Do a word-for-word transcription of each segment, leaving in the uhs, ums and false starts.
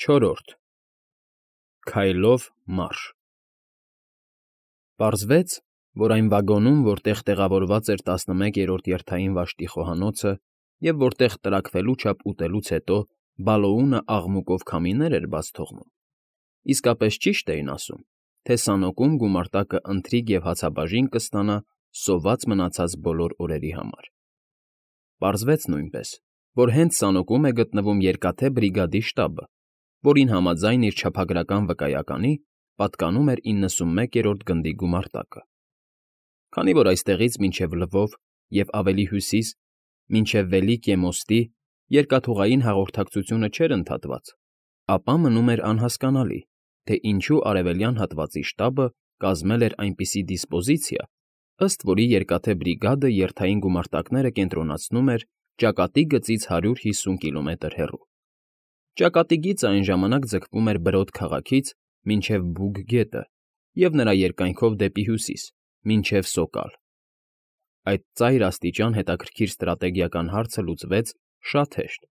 Չորրորդ Քայլով մարշ Պարզվեց, որ այն վագոնում, որտեղ տեղավորված էր տասնմեկերորդ երթային վաշտի խոհանոցը և որտեղ տրաքվելու չափ ուտելուց հետո Բալոունը աղմուկով քամիներ էր բաց թողնում, իսկապես ճիշտ էին ասում, թե Սանոկում գումարտակը ընթրիք և հացաբաժին կստանա սոված մնացած բոլոր օրերի համար։ Պարզվեց նույնպես, որ հենց Սանոկում է գտնվում Երկաթե բրիգադի շտաբը, որին համաձայն իր չափագրական վկայականի պատկանում էր իննսունմեկերորդ գնդի գումարտակը։ Քանի որ այստեղից մինչև Լվով և ավելի հյուսիս, մինչև Վելիկե մոստի երկաթուղային հաղորդակցությունը չէր ընդհատված, ապա մնում էր անհասկանալի, թե ինչու արևելյան հատվածի շտաբը կազմել էր այնպիսի դիսպոզիցիա, ըստ որի Երկաթե բրիգադը երթային գումարտակները կենտրոնացնում էր ճակատի գծից հարյուր հիսուն կիլոմետր հեռու։ Ճակատի գիծը այն ժամանակ ձգվում էր Բրոդ քաղաքից մինչև Բուգ գետը և նրա երկայնքով դեպի հյուսիս, մինչև Սոկալ։ Այդ ծայրաստիճան հետաքրքիր ստրատեգիական հարցը լուծվեց շատ հեշտ,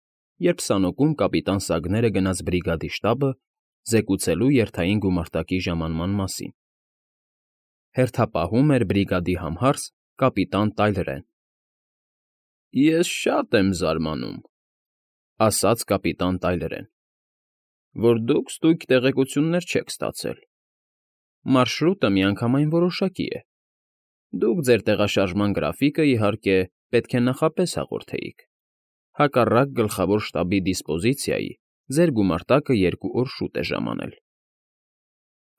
երբ Սանոկում կապիտան Սագները գնաց բրիգադի շտաբը զեկուցելու երթային գումարտակի ժամանման մասին։ Հերթապահում էր բրիգադի համհարս կապիտան Տայլրեն։ ֊ Ես շատ եմ զարմանում,֊ ասաց կապիտան Տայլրեն,֊ որ դուք ստույգ տեղեկություններ չեք ստացել։ Մարշրուտը միանգամայն որոշակի է։ Դուք ձեր տեղաշարժման գրաֆիկը, իհարկե, պետք է նախապես հաղորդեիք, հակառակ գլխավոր շտաբի դիսպոզիցիայի ձեր գումարտակը երկու օր շուտ է ժամանել։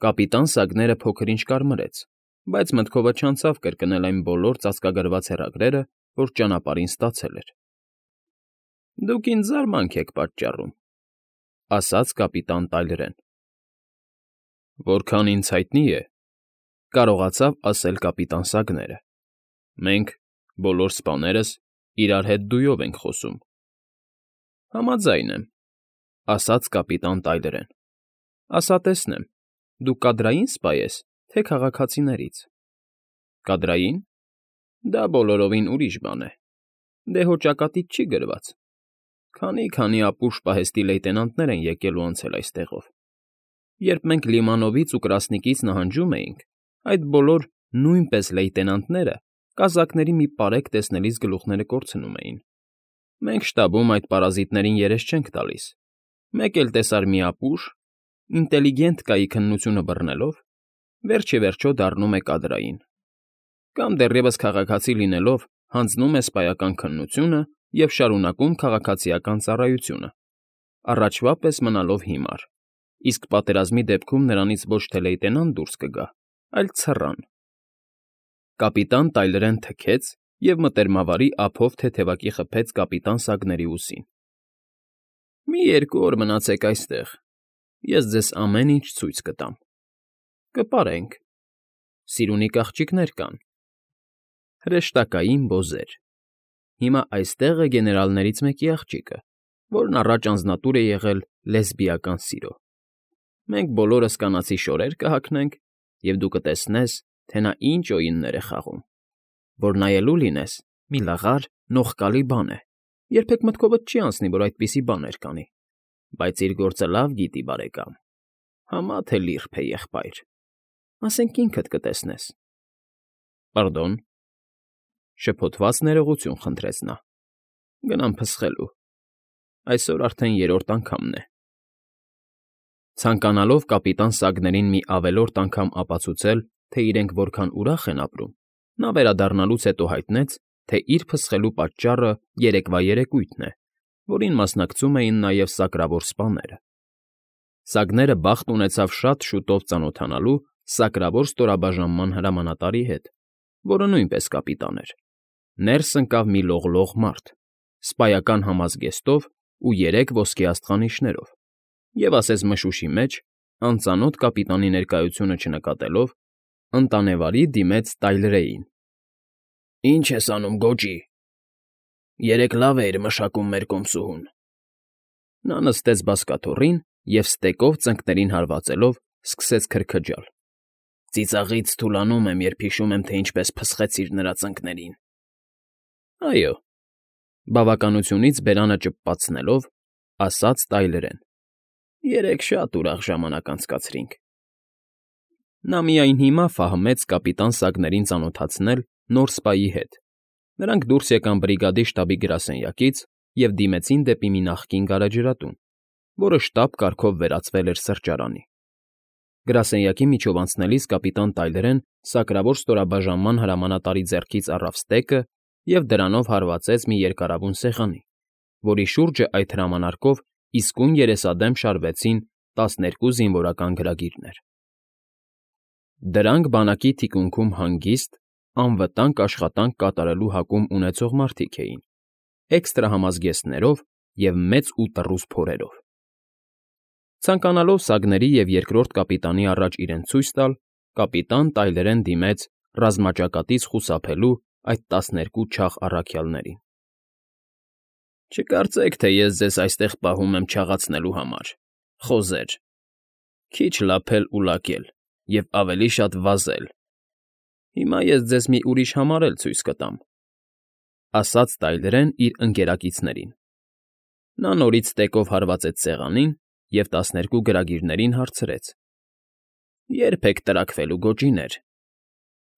Կապիտան Սագները փոքր-ինչ կարմրեց, բայց մտքովը չանցավ կրկնել այն բոլոր ծածկագրված հեռագրերը, որ ճանապարհին ստացել էր։ ֊ Դուք ինձ զարմանք եք պատճառում,֊ ասաց կապիտան Տայլրեն։ ֊ Որքան ինձ հայտնի է,֊ կարողացավ ասել կապիտան Սագները,֊ մենք, բոլոր սպաներս, իրար հետ դույով ենք խոսում։ ֊ Համաձայն եմ,֊ ասաց կապիտան Տայլրեն,֊ ասա տեսնեմ, դու կադրայի՞ն սպա ես, թե քաղաքացիներից։ ֊ Կադրայի՞ն։ Դա բոլորովին ուրիշ բան է։ Դե հո ճակատիդ չի գրված։ Քանի֊քանի ապուշ պահեստի լեյտենանտներ են եկել ու անցել այստեղով։ Երբ մենք Լիմանովից ու Կրասնիկից նահանջում էինք, այդ բոլոր նույնպես լեյտենանտները կազակների մի պարեկ տեսնելիս գլուխները կորցնում էին։ Մենք շտաբում այդ պարազիտներին երես չենք տալիս։ Մեկ էլ տեսար մի ապուշ, ինտելիգենտկայի քննությունը բռնելով, վերջ ի վերջո դառնում է կադրային։ Կամ դեռևս քաղաքացի լինելով հանձնում է սպայական քննությունը և շարունակում քաղաքացիական ծառայությունը, առաջվա պես մնալով հիմար, իսկ պատերազմի դեպքում նրանից ոչ թե լեյտենանտ դուրս կգա, այլ ցռան։ Կապիտան Տայլրեն թքեց և մտերմավարի ափով թեթևակի խփեց կապիտան Սագների ուսին։ ֊ Մի երկու օր մնացեք այստեղ, ես ձեզ ամեն ինչ ցույց կտամ։ Կպարենք։ Սիրունիկ աղջիկներ կան։ Հրեշտակային բոզեր։ Հիմա այստեղ է գեներալներից մեկի աղջիկը, որն առաջ անձնատուր է եղել լեսբիական սիրո։ Մենք բոլորս կանացի շորեր կհագնենք, և դու կտեսնես, թե նա ինչ օյուններ է խաղում, որ նայելու լինես, մի լաղար, նողկալի բան է, երբեք մտքովդ չի անցնի, որ այդպիսի բաներ կանի, բայց իր գործը լավ գիտի, բարեկամ, համա թե լիրբ է եղբայր, ասենք ինքդ կտեսնես։ ֊ Պարդոն,֊ շփոթված ներողություն խնդրեց նա,֊ գնամ փսխելու, այսօր արդեն երրորդ անգամն է։ Ցանկանալով կապիտան Սագներին մի ավելորդ անգամ ապացուցել, թե իրենք որքան ուրախ են ապրում, նա վերադառնալուց հետո հայտնեց, թե իր փսխելու պատճառը երեկվա երեկույթն է, որին մասնակցում էին նաև սակրավոր սպաները։ Սագները բախտ ունեցավ շատ շուտով ծանոթանալու սակրավոր ստորաբաժանման հրամանատարի հետ, որը նույնպես կապիտան էր։ Ներս ընկավ մի լողլող մարդ, սպայական համազգեստով ու երեք ոսկե աստղանիշներով, և ասես մշուշի մեջ, անծանոթ կապիտանի ներկայությունը չնկատելով, ընտանեվարի դիմեց Տայլրեին։ ֊ Ի՞նչ ես անում, գոճի… Երեկ լավ էիր մշակում մեր կոմսուհուն։ Նա նստեց բազկաթոռին և, ստեկով ծնկներին հարվածելով, սկսեց քրքջալ։ Ծիծաղից թուլանում եմ, երբ հիշում եմ, թե ինչպես փսխեցիր նրա ծնկներին։ ֊ Այո,֊ բավականությունից բերանը ճպպացնելով, ասաց Տայլրեն։ Երեկ շատ ուրախ ժամանակ անցկացրինք։ Նա միայն հիմա ֆահմեց կապիտան Սագներին ծանոթացնել նոր սպայի հետ։ Նրանք դուրս եկան բրիգադի շտաբի գրասենյակից և դիմեցին դեպի մի նախկին գարեջրատուն, որը շտապ կարգով վերածվել էր սրճարանի։ Գրասենյակի միջով անցնելիս կապիտան Տայլերն սակրավոր ստորաբաժանման հրամանատարի ձեռքից առավ ստեկը և դրանով հարվածեց մի երկարավուն սեղանի, որի շուրջը այդ հրամանարկով իսկույն երեսադեմ շարվեցին տասներկու զինվորական գրագիրներ։ Դրանք բանակի թիկունքում հանգիստ, անվտանգ աշխատանք կատարելու հակում ունեցող մարդիկ էին, էքստրահամազգեստներով և մեծ ու տռուս փորերով։ Ցանկանալով Սագների և երկրորդ կապիտանի առաջ իրեն ցույց տալ, կապիտան Տայլերն դիմեց ռազմաճակատից խուսափելու այդ տասներկու չաղ առաքյալներին։ Չկարծեք, թե ես ձեզ այստեղ պահում եմ չաղացնելու համար, խոզեր, քիչ լափել ու լակել և ավելի շատ վազել։ Հիմա ես ձեզ մի ուրիշ համար էլ ցույց կտամ, ֊ ասաց Տայլերն իր ընկերակիցներին։ Նա նորից ստեկով հարվածեց սեղանին և տասներկու գրագիրներին հարցրեց. Ե՞րբ եք տրաքվելու, գոջիներ։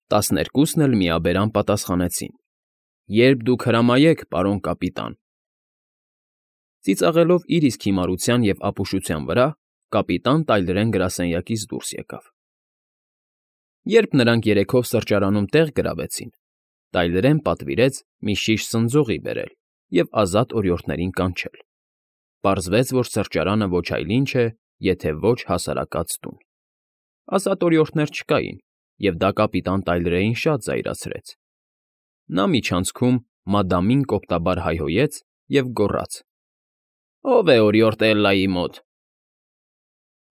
Տասներկուսն էլ միաբերան պատասխանեցին. Երբ դուք հրամայեք, պարոն կապիտան։ Ծիծաղելով իր իսկ հիմարության և ապուշության վրա, կապիտան Տայլերն գրասենյակից դուրս եկավ։ Երբ նրանք երեքով սրճարանում տեղ գրավեցին, Տայլերն պատվիրեց մի շիշ սնձողի բերել և ազատ օրիորդներին կանչել։ Պարզվեց, որ սրճարանը ոչ այլ ինչ է, եթե ոչ հասարակած տուն։ Ազատ օրիորդներ չկային, և դա կապիտան Տայլերին շատ զայրացրեց։ Նա միջանցքում մադամին կոպտաբար հայհոյեց և գոռաց. Ո՞վ է օրիորդ Էլլայի մոտ։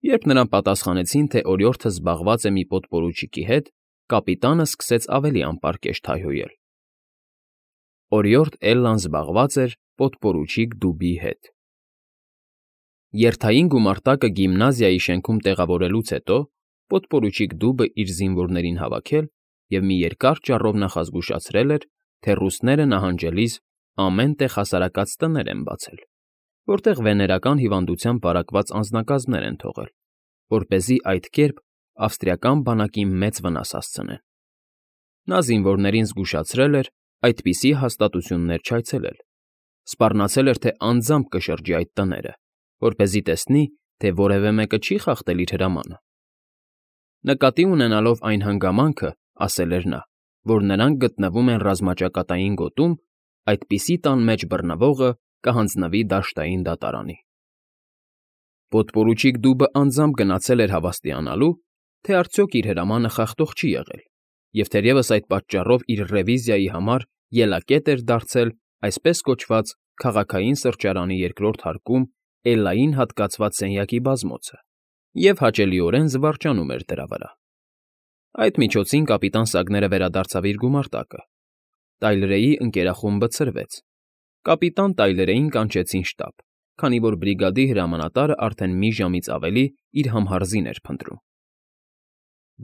Երբ նրան պատասխանեցին, թե օրիորդը զբաղված է մի պոդպորուչիկի հետ, կապիտանը սկսեց ավելի անպարկեշտ հայհոյել. Օրիորդ Էլլան զբաղված էր պոդպորուչիկ դուբի հետ։ Երթային գումարտակը գիմնազիայի շենքում տեղավորելուց հետո պոդպորուչիկ դուբը իր զինվորներին հավաքել և մի երկար ճառով նախազգուշացրել էր, թե ռուսները նահանջելիս ամեն տեղ հասարակած տներ են բացել, որտեղ վեներական հիվանդությամբ վարակված անձնակազմներ են թողել, որպեսզի այդ կերպ ավստրիական բանակին մեծ վնաս հասցնեն։ Նա զինվորներին զգուշացրել էր այդպիսի հաստատություններ չայցելել, սպառնացել էր, թե անձամբ կշրջի այդ տները, որպեսզի տեսնի, թե որևէ մեկը չի խախտել իր հրամանը։ Նկատի ունենալով այն հանգամանքը, ասել էր նա, որ նրանք գտնվում են ռազմաճակատային գոտում, այդպիսի տան մեջ բռնվողը կհանձնվի դաշտային դատարանի։ Պոդպորուչիկ դուբը անձամբ գնացել էր հավաստիանալու, թե արդյոք իր հրամանը խախտող չի եղել, և թերևս այդ պատճառով իր ռևիզիայի համար ելակետ էր դարձել այսպես կոչված քաղաքային սրճարանի երկրորդ հարկում Էլլային հատկացված սենյակի բազմոցը և հաճելիորեն զվարճանում էր դրա վրա։ Այդ միջոցին կապիտան Սագները վերադարձավ իր գումարտակը։ Տայլրեի ընկերախումբը ցրվեց։ Կապիտան Տայլերեին կանչեցին շտաբ, քանի որ բրիգադի հրամանատարը արդեն մի ժամից ավելի իր համհարզին էր փնտրում։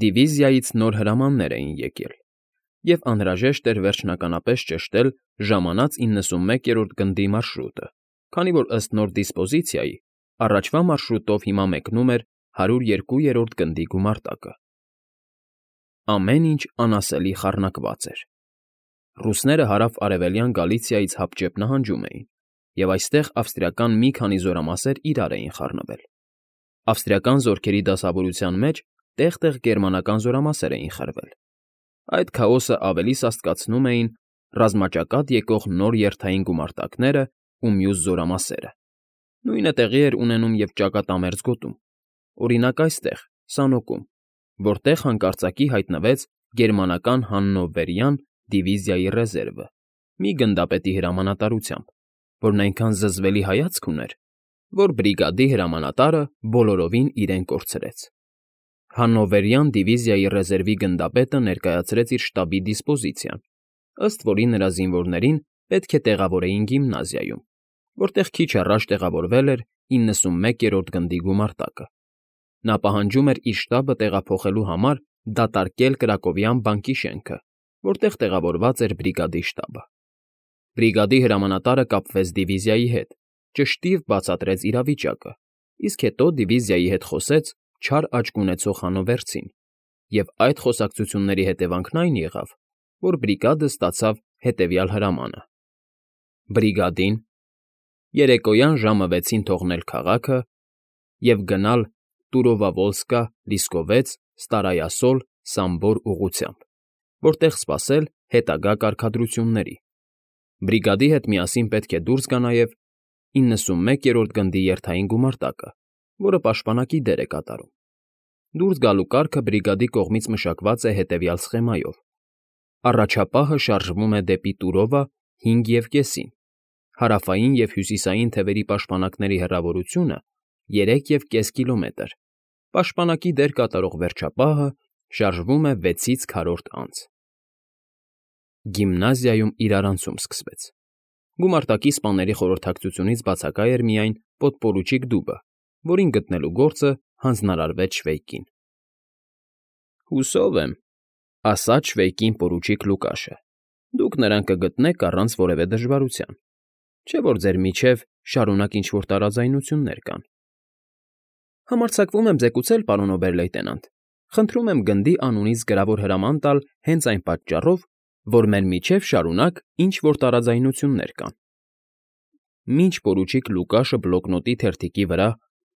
Դիվիզիայից նոր հրամաններ էին եկել, և անհրաժեշտ էր վերջնականապես ճշտել ժամանած իննսունմեկերորդ գնդի մարշրուտը, քանի որ ըստ նոր դիսպոզիցիայի առաջվա մարշրուտով հիմա մեկնում էր հարյուր երկուերորդ գնդի գումարտակը։ Ամեն ինչ անասելի խառնակված էր։ Ռուսները հարավ֊արևելյան Գալիցիայից հապճեպ նահանջում էին, և այստեղ ավստրիական մի քանի զորամասեր իրար էին խառնվել։ Ավստրիական զորքերի դասավորության մեջ տեղ֊տեղ գերմանական զորամասեր էին խրվել։ Այդ քաոսը ավելի սաստկացնում էին ռազմաճակատ եկող նոր երթային գումարտակները ու մյուս զորամասերը։ Նույնը տեղի էր ունենում և ճակատամերձ գոտում, օրինակ այստեղ, Սանոկում, որտեղ հանկարծակի հայտնվեց գերմանական Հաննովերյան դիվիզիայի ռեզերվը, մի գնդապետի հրամանատարությամբ, որն այնքան զզվելի հայացք ուներ, որ բրիգադի հրամանատարը բոլորովին իրեն կորցրեց։ Հաննովերյան դիվիզիայի ռեզերվի գնդապետը ներկայացրեց իր շտաբի դիսպոզիցիան, ըստ որի նրա զինվորներին պետք է տեղավորեին գիմնազիայում, որտեղ քիչ առաջ տեղավորվել էր իննսունմեկերորդ գնդի գումարտակը։ Նա պահանջում էր իր շտաբը տեղափոխելու համար դատարկել Կրակովյան բանկի շենքը, որտեղ տեղավորված էր բրիգադի շտաբը։ Բրիգադի հրամանատարը կապվեց դիվիզիայի հետ, ճշտիվ բացատրեց իրավիճակը, իսկ հետո դիվիզիայի հետ խոսեց չար աչք ունեցող հանովերցին, և այդ խոսակցությունների հետևանքն այն եղավ, որ բրիգադը ստացավ հետևյալ հրամանը. բրիգադին երեկոյան ժամը վեցին թողնել քաղաքը և գնալ Տուրովավոլսկա-Լիսկովեց, Ստարայասոլ, Սամբոր ուղղությամբ, որտեղ սպասել հետագա կարգադրությունների։ Բրիգադի հետ միասին պետք է դուրս գա նաև իննսունմեկերորդ գնդի երթային գումարտակը, որը պաշտպանակի դեր է կատարում։ Դուրս գալու կարգը բրիգադի կողմից մշակված է հետևյալ սխեմայով. առաջապահը շարժվում է դեպի Տուրովա հինգ և կեսին, հարավային և հյուսիսային թևերի պաշտպանակների հեռավորությունը երեք և կես կիլոմետր, պաշտպանակի դեր կատարող վերջապահը շարժվում է վեցից քառորդ անց։ Գիմնազիայում իրարանցում սկսվեց։ Գումարտակի սպաների խորհրդակցությունից բացակայ էր միայն պոդպորուչիկ Դուբը, որին գտնելու գործը հանձնարարվեց Շվեյկին։ «Հուսով եմ,֊ ասաց Շվեյկին պորուչիկ Լուկաշը,֊ դուք նրան կգտնեք առանց որևէ դժվարության, չէ՞ որ ձեր միջև շարունակ ինչ֊որ տարաձայնություններ կան»։ «Համարձակվում եմ զեկուցել, պարոն օբեր֊լեյտենանտ, խնդրում եմ գնդի անունից գրավոր հրաման տալ հենց այն պատճառով, որ մեր միջև շարունակ ինչ֊որ տարաձայնություններ կան»։ Մինչ պորուչիկ Լուկաշը բլոկնոտի թերթիկի վրա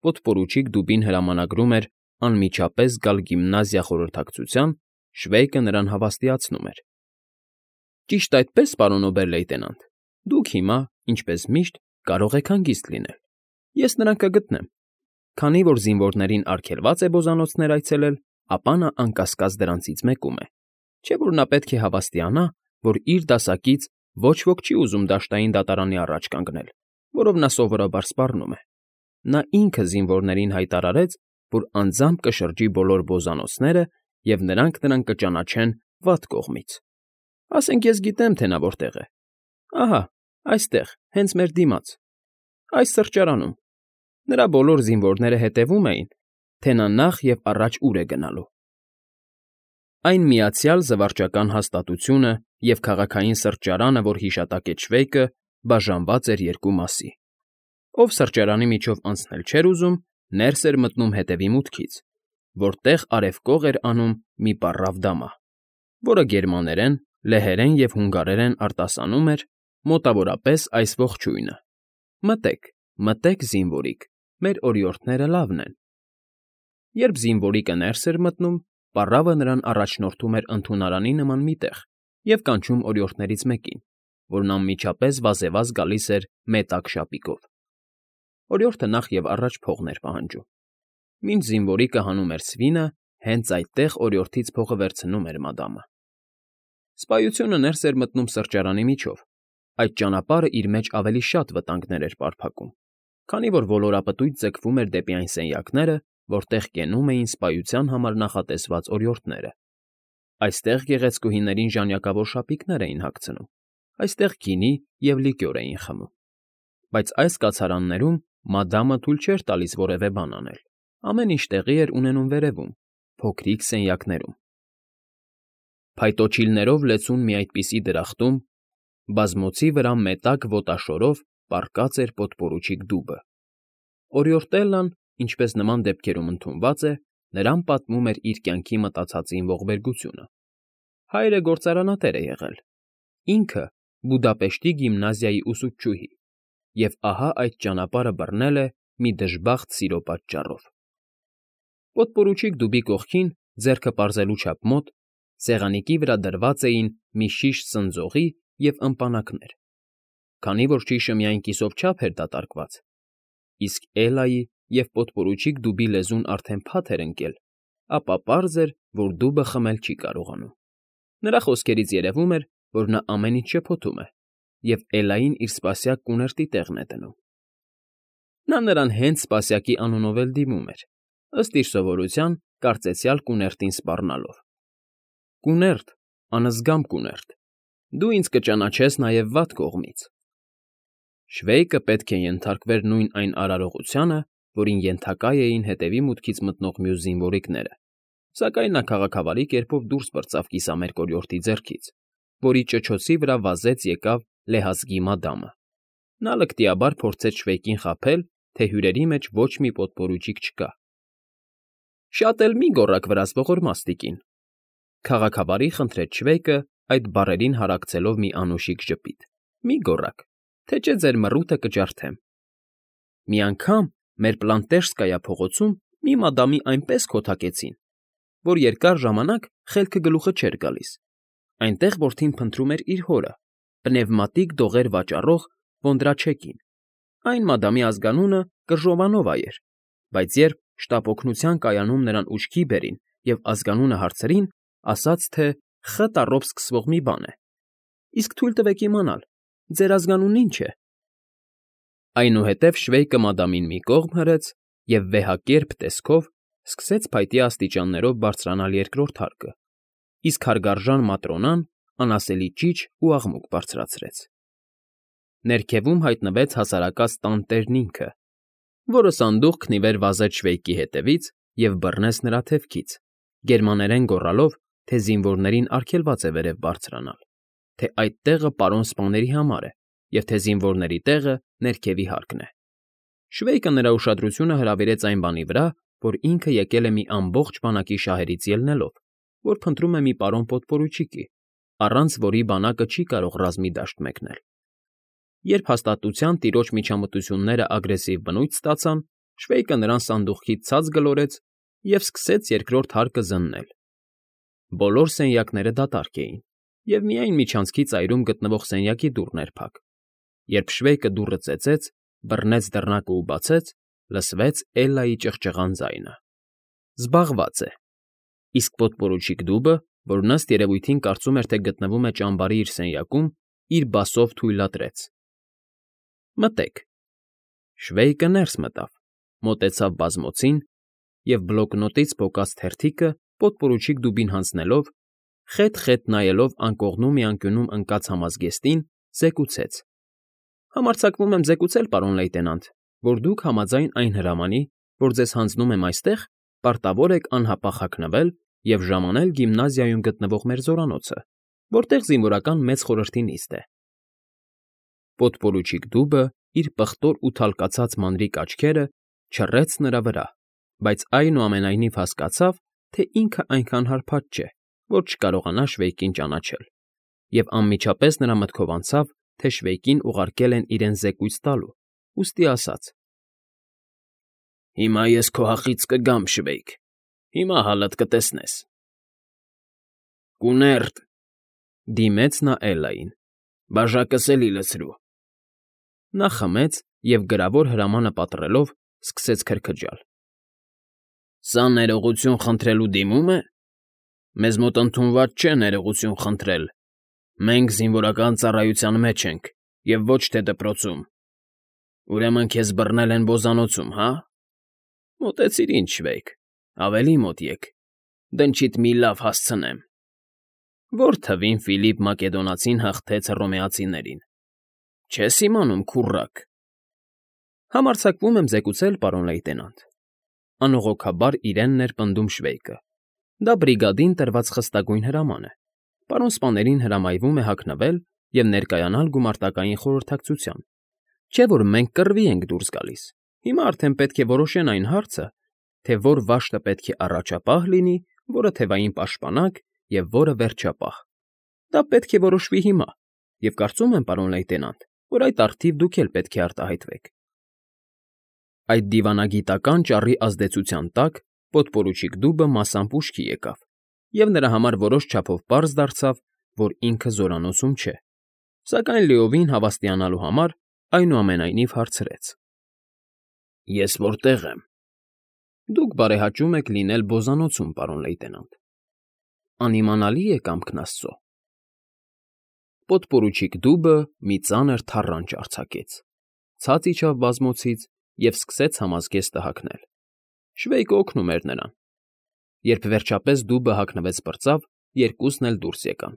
պոդպորուչիկ Դուբին հրամանագրում էր անմիջապես գալ գիմնազիա խորհրդակցության, Շվեյկը նրան հավաստիացնում էր. «Ճիշտ այդպես, պարոն օբեր֊լեյտենանտ, դուք հիմա, ինչպես միշտ, կարող եք հանգիստ լինել, ես նրան կգտնեմ։ Քանի որ զինվորներին արգելված է բոզանոցներ այցելել, ապա նա անկասկած դրանցից մեկում է, չէ՞ որ նա պետք է հավաստիանա, որ իր դասակից ոչ ոք չի ուզում դաշտային դատարանի առաջ կանգնել, որով նա սովորաբար սպառնում է։ Նա ինքը զինվորներին հայտարարեց, որ անձամբ կշրջի բոլոր բոզանոցները և նրանք նրան կճանաչեն վատ կողմից։ Ասենք ես գիտեմ, թե նա որտեղ է։ Ահա, այստեղ, հենց մեր դիմաց, այս սրճարանում։ Նրա բոլոր զինվորները հետևում էին, թե նա նախ և առաջ ուր է գնալու»։ Այն միացյալ զվարճական հաստատությունը և քաղաքային սրճարանը, որ հիշատակեց Շվեյկը, բաժանված էր երկու մասի։ Ով սրճարանի միջով անցնել չէր ուզում, ներս էր մտնում հետևի մուտքից, որտեղ արևկող էր անում մի պառավ դամահ, որը գերմաներեն, լեհերեն և հունգարերեն արտասանում էր մոտավորապես այս ողջույնը. «Մտե՛ք, մտե՛ք, զինվորիկ, մեր օրիորդները լավն են»։ Երբ զինվորիկը ներս էր մտնում, պառավը նրան առաջնորդում էր ընդունարանի նման մի տեղ և կանչում օրիորդներից մեկին, որն անմիջապես վազեվազ գալիս էր մետակ շապիկով։ Օրիորդը նախ և առաջ փողն էր պահանջում։ Մինչ զինվորիկը հանում էր սվինը, հենց այդտեղ օրիորդից փողը վերցնում էր մադամը։ Սպայությունը ներս էր մտնում սրճարանի միջով։ Այդ ճանապարհը իր մեջ ավելի շատ վտանգներ էր պարփակում, քանի որ ոլորապտույտ ձգվում էր դեպի այն սենյակները, որտեղ կենում էին սպայության համար նախատեսված օրիորդները։ Այստեղ գեղեցկուհիներին ժանյակավոր շապիկներ էին հագցնում, այստեղ գինի և լիկյոր էին խմում։ Բայց այս կացարաններում մադամը թույլ չէր տալիս որևէ բան անել, ամեն ինչ տեղի էր ունենում վերևում, փոքրիկ սենյակներում։ Փայտոջիլներով լեցուն մի այդպիսի դրախտում, բազմոցի վրա մետակ ոտաշորով պառկած էր պոդպորուչիկ Դուբը։ Օրիորտելլան, ինչպես նման դեպքերում ընդունված է, նրան պատմում էր իր կյանքի մտածածին ողբերգությունը։ Հայրը գործարանատեր է եղել, ինքը Բուդապեշտի գիմնազիայի ուսուցչուհի, և ահա այդ ճանապարհը բռնել է մի դժբախտ սիրո պատճառով։ Պոդպորուչիկ Դուբի կողքին, ձեռքը պարզելու չափ մոտ, սեղանիկի վրա դրված էին մի շիշ սնձողի և ըմպանակներ։ Քանի որ շիշը միայն կիսով չափ էր դատարկված, իսկ Էլլայի և պոդպորուչիկ Դուբի լեզուն արդեն փաթ էր ընկել, ապա պարզ էր, որ Դուբը խմել չի կարողանում։ Նրա խոսքերից երևում էր, որ նա ամեն ինչ շփոթում է, և Էլլային իր սպասյակ կուներտի տեղն է դնում։ Նա նրան հենց սպասյակի անունով էլ դիմում էր, ըստ իր սովորության կարծեցյալ կուներտին սպառնալով. «Կուներտ, անզգամ կուներտ, դու ինձ կճանաչես նաև վատ կողմից»։ Շվեյկը պետք է ենթարկվեր նույն այն արարողությանը, որին ենթակա էին հետևի մուտքից մտնող մյուս զինվորիկները, սակայն նա քաղաքավարի կերպով դուրս պրծավ կիսամերկ օրիորդի ձեռքից, որի ճչոցի վրա վազեց եկավ լեհազգի մադամը։ Նա լկտիաբար փորձեց Շվեյկին խաբել թե հյուրերի մեջ ոչ մի պոտպորուչիկ չկա։ Շատ էլ մի գոռաք վրաս ողորմաստիկին, քաղաքավարի խնդրեց Շվեյկը այդ բառերին հարակցելով մի անուշիկ ժպիտ։ Մի գոռաք, թե չէ ձեր մռութը կջարդեմ։ Մի անգամ մեր Պլանտեժսկայա փողոցում մի մադամի այնպես քոթակեցին, որ երկար ժամանակ խելքը գլուխը չէր գալիս։ Այնտեղ որդին փնտրում էր իր հորը, պնևմատիկ դողեր վաճառող Վոնդրաչեկին։ Այն մադամի ազգանունը Կրժովանովա էր, բայց երբ շտապ օգնության կայանում նրան ուշքի բերին և ազգանունը հարցրին, ասաց, թե Խ տառով սկսվող մի բան է։ Իսկ թույլ տվեք իմանալ, ձեր ազգանունն ի՞նչ է։ Այնուհետև Շվեյկը մադամին մի կողմ հրեց և վեհակերպ տեսքով սկսեց փայտյա աստիճաններով բարձրանալ երկրորդ հարկը, իսկ հարգարժան Маտրոնան անասելի ճիչ ու աղմուկ բարձրացրեց։ Ներքևում հայտնվեց հասարակած տան տերն ինքը, որը սանդուղքն ի վեր վազեց Շվեյկի հետևից և բռնեց նրա թևքից, գերմաներեն գոռալով, թե զինվորներին արգելված է վերև բարձրանալ, թե այդ տեղը պարոն սպաների համար է և թե զինվորների տեղը ներքևի հարկն է։ Շվեյկը նրա ուշադրությունը հրավիրեց այն բանի վրա, որ ինքը եկել է մի ամբողջ բանակի շահերից ելնելով, որ փնտրում է մի պարոն պոտպորուչիկի, առանց որի բանակը չի կարող ռազմի դաշտ մեկնել։ Երբ հաստատության տիրոջ միջամտությունները ագրեսիվ բնույթ ստացան, Շվեյկը նրան սանդուղքից ցած գլորեց և սկսեց երկրորդ հարկը զննել։ Բոլոր սենյակները դատարկ էին, և միայն միջանցքի ծայրում գտնվող սենյակի դուռն էր փակ։ Երբ Շվեյկը դուռը ծեծեց, բռնեց դռնակը ու բացեց, լսվեց Էլլայի ճղճղան ձայնը։ Զբաղված է։ Իսկ պոտպորուչիկ դուբը, որ ըստ երևույթին կարծում էր, թե գտնվում է ճամբարի իր սենյակում, իր բասով թույլատրեց. Մտեք։ Շվեյկը ներս մտավ, մոտեցավ բազմոցին և բլոկնոտից պոկած թերթիկը պոտպորուչիկ դուբին հանձնելով, խետ֊խետ նայելով անկողնու մի անկյունում ընկած համազգեստին, զեկուցեց. Համարձակվում եմ զեկուցել, պարոն լեյտենանտ, որ դուք համաձայն այն հրամանի, որ ձեզ հանձնում եմ այստեղ, պարտավոր եք անհապաղ հագնվել և ժամանել գիմնազիայում գտնվող մեր զորանոցը, որտեղ զինվորական մեծ խորհրդի նիստ է։ Պոտպորուչիկ դուբը իր պղտոր ու թալկացած մանրիկ աչքերը չռեց նրա վրա, բայց այնուամենայնիվ հասկացավ, թե ինքը այնքան հարբած չէ, որ չկարողանա Շվեյկին ճանաչել, և անմիջապես նրա մտքով անցավ, թե Շվեյկին ուղարկել են իրեն զեկույց տալու, ուստի ասաց. Հիմա ես քո հախից կգամ, Շվեյկ, հիմա հալդ կտեսնես։ Կուներտ,֊ դիմեց նա Էլլային,֊ բաժակս էլի լցրու։ Նա խմեց և գրավոր հրամանը պատռելով սկսեց քրքջալ։ Սա ներողություն խնդրելու դիմում է։ Մեզ մոտ ընդունված չէ ներողություն խնդրել։ Մենք զինվորական ծառայության մեջ ենք և ոչ թե դպրոցում։ Ուրեմն քեզ բռնել են բոզանոցում, հա՞։ Մոտեցիր ինձ, Շվեյկ, ավելի մոտ եկ, դնչիդ մի լավ հասցնեմ։ Որ թվին Ֆիլիպ Մակեդոնացին հաղթեց հռոմեացիներին։ Չես իմանում, քուռակ։ Համարձակվում եմ զեկուցել, պարոն լեյտենանտ, անողոքաբար իրեն ներպնդում Շվեյկը։ Դա բրիգադին տրված խստագույն հրաման է։ Պարոն սպաներին հրամայվում է հագնվել և ներկայանալ գումարտակային խորհրդակցության։ Չէ՞ որ մենք կռվի ենք դուրս գալիս։ Հիմա արդեն պետք է որոշեն այն հարցը, թե որ վաշտը պետք է առաջապահ լինի, որը թևային պաշտպանակ և որը վերջապահ։ Դա պետք է որոշվի հիմա, և կարծում եմ, պարոն լեյտենանտ, որ այդ առթիվ դուք էլ պետք է արտահայտվեք։ Այդ դիվանագիտական ճառի ազդեցության տակ պոտպորուչիկ դուբը մասամբ ուշքի եկավ, և նրա համար որոշ չափով պարզ դարձավ, որ ինքը զորանոցում չէ, սակայն լիովին հավաստիանալու համար այնուամենայնիվ հարցրեց. Ես որտե՞ղ եմ։ Դուք բարեհաճում եք լինել Բոզանոցում, պարոն լեյտենանտ։ Անիմանալի է կամքն Աստծո։ Պոտպորուչիկ դուբը մի ծանր թառանչ արձակեց, ցած իջավ բազմոցից և սկսեց համազգեստը հագնել։ Շվեյկը օգնում էր նրան։ Երբ վերջապես դուբը հագնվեց պրծավ, երկուսն էլ դուրս եկան,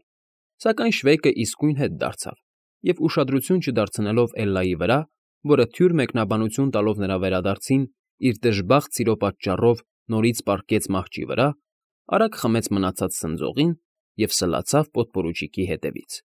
սակայն Շվեյկը իսկույն հետ դարձավ և ուշադրություն չդարձնելով Էլլայի վրա, որը թյուր մեկնաբանություն տալով նրա վերադարձին իր դժբախտ սիրո պատճառով նորից պառկեց մահճի վրա, արագ խմեց մնացած սնձողին և սլացավ պոտպորուչիկի հետևից։